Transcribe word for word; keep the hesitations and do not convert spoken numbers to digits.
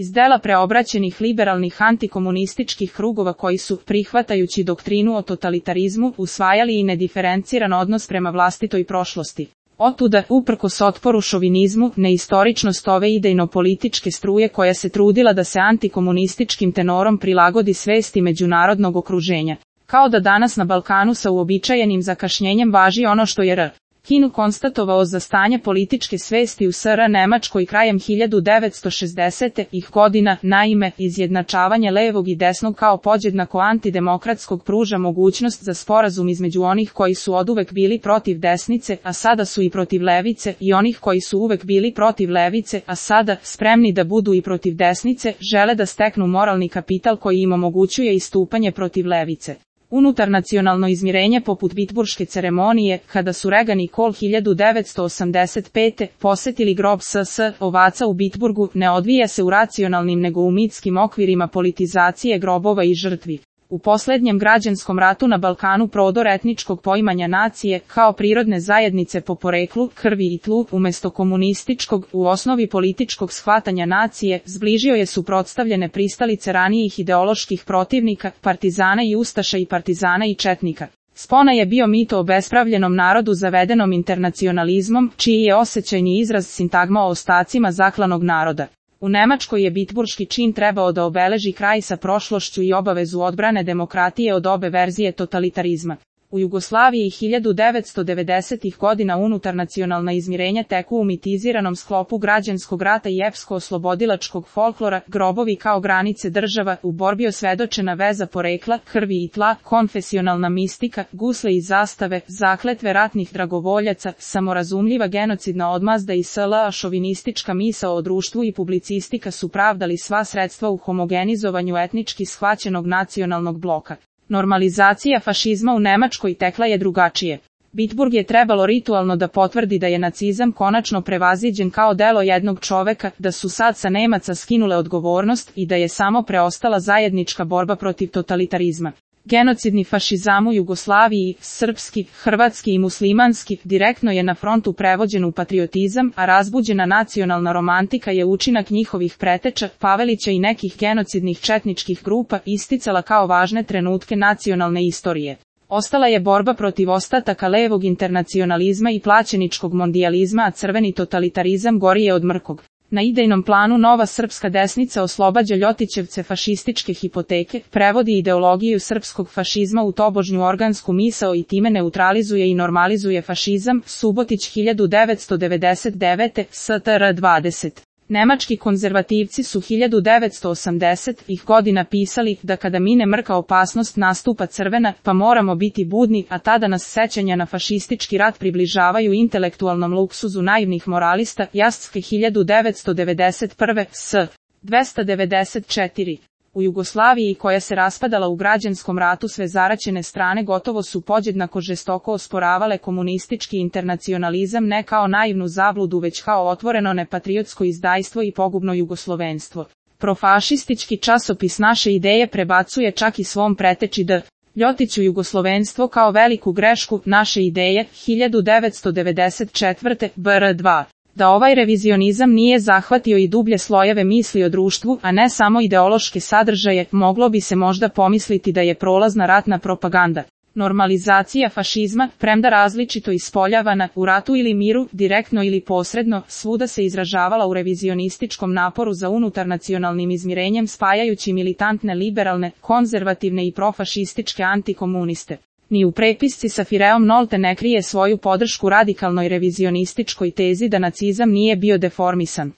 Iz dela preobraćenih liberalnih antikomunističkih krugova koji su, prihvatajući doktrinu o totalitarizmu, usvajali i nediferenciran odnos prema vlastitoj prošlosti. Otuda, uprkos otporu šovinizmu, neistoričnost ove idejno-političke struje koja se trudila da se antikomunističkim tenorom prilagodi svesti međunarodnog okruženja. Kao da danas na Balkanu sa uobičajenim zakašnjenjem važi ono što je R. Kinu konstatovao za stanje političke svesti u S R Nemačkoj krajem hiljadu devetsto šezdesetih godina, naime, izjednačavanje levog i desnog kao podjednako antidemokratskog pruža mogućnost za sporazum između onih koji su oduvek bili protiv desnice, a sada su i protiv levice, i onih koji su uvek bili protiv levice, a sada, spremni da budu i protiv desnice, žele da steknu moralni kapital koji im omogućuje istupanje protiv levice. Unutarnacionalno izmirenje poput Bitburške ceremonije, kada su Reagan i Kohl hiljadu devetsto osamdeset pete. posetili grob S S ovaca u Bitburgu, ne odvija se u racionalnim nego u mitskim okvirima politizacije grobova i žrtvi. U posljednjem građanskom ratu na Balkanu prodor etničkog poimanja nacije, kao prirodne zajednice po poreklu, krvi i tlu, umjesto komunističkog, u osnovi političkog shvatanja nacije, zbližio je suprotstavljene pristalice ranijih ideoloških protivnika, partizana i ustaša i partizana i četnika. Spona je bio mit o obespravljenom narodu zavedenom internacionalizmom, čiji je osjećajni izraz sintagma o ostacima zaklanog naroda. U Nemačkoj je bitburški čin trebao da obeleži kraj sa prošlošću i obavezu odbrane demokratije od obe verzije totalitarizma. U Jugoslaviji hiljadu devetsto devedesetih godina unutarnacionalna izmirenja teku u mitiziranom sklopu građanskog rata i epsko-oslobodilačkog folklora, grobovi kao granice država, u borbi osvedočena veza porekla, krvi i tla, konfesionalna mistika, gusle i zastave, zakletve ratnih dragovoljaca, samorazumljiva genocidna odmazda i S L A šovinistička misao o društvu i publicistika su pravdali sva sredstva u homogenizovanju etnički shvaćenog nacionalnog bloka. Normalizacija fašizma u Nemačkoj tekla je drugačije. Bitburg je trebalo ritualno da potvrdi da je nacizam konačno prevaziđen kao delo jednog čoveka, da su sad sa Nemaca skinule odgovornost i da je samo preostala zajednička borba protiv totalitarizma. Genocidni fašizam u Jugoslaviji, srpski, hrvatski i muslimanski, direktno je na frontu prevođen u patriotizam, a razbuđena nacionalna romantika je učinak njihovih preteča, Pavelića i nekih genocidnih četničkih grupa isticala kao važne trenutke nacionalne istorije. Ostala je borba protiv ostataka levog internacionalizma i plaćeničkog mondijalizma, a crveni totalitarizam gori je od mrkog. Na idejnom planu nova srpska desnica oslobađa Ljotićevce fašističke hipoteke, prevodi ideologiju srpskog fašizma u tobožnju organsku misao i time neutralizuje i normalizuje fašizam. Subotić hiljadu devetsto devedeset devete. S T R dvadeset. Nemački konzervativci su hiljadu devetsto osamdesetih godina pisali da kada mine mrka opasnost nastupa crvena, pa moramo biti budni, a tada nas sećanja na fašistički rat približavaju intelektualnom luksuzu naivnih moralista. Jastske hiljadu devetsto devedeset prve. S. dvesta devedeset četiri. U Jugoslaviji koja se raspadala u građanskom ratu sve zaraćene strane gotovo su podjednako žestoko osporavale komunistički internacionalizam ne kao naivnu zabludu već kao otvoreno nepatriotsko izdajstvo i pogubno jugoslovenstvo. Profašistički časopis Naše ideje prebacuje čak i svom preteči D. Ljotiću jugoslovenstvo kao veliku grešku. Naše ideje, hiljadu devetsto devedeset četvrte. B R dva. Da ovaj revizionizam nije zahvatio i dublje slojeve misli o društvu, a ne samo ideološke sadržaje, moglo bi se možda pomisliti da je prolazna ratna propaganda. Normalizacija fašizma, premda različito ispoljavana, u ratu ili miru, direktno ili posredno, svuda se izražavala u revizionističkom naporu za unutarnacionalnim izmirenjem spajajući militantne liberalne, konzervativne i profašističke antikomuniste. Ni u prepisci sa Fireom Nolte ne krije svoju podršku radikalnoj revizionističkoj tezi da nacizam nije bio deformisan.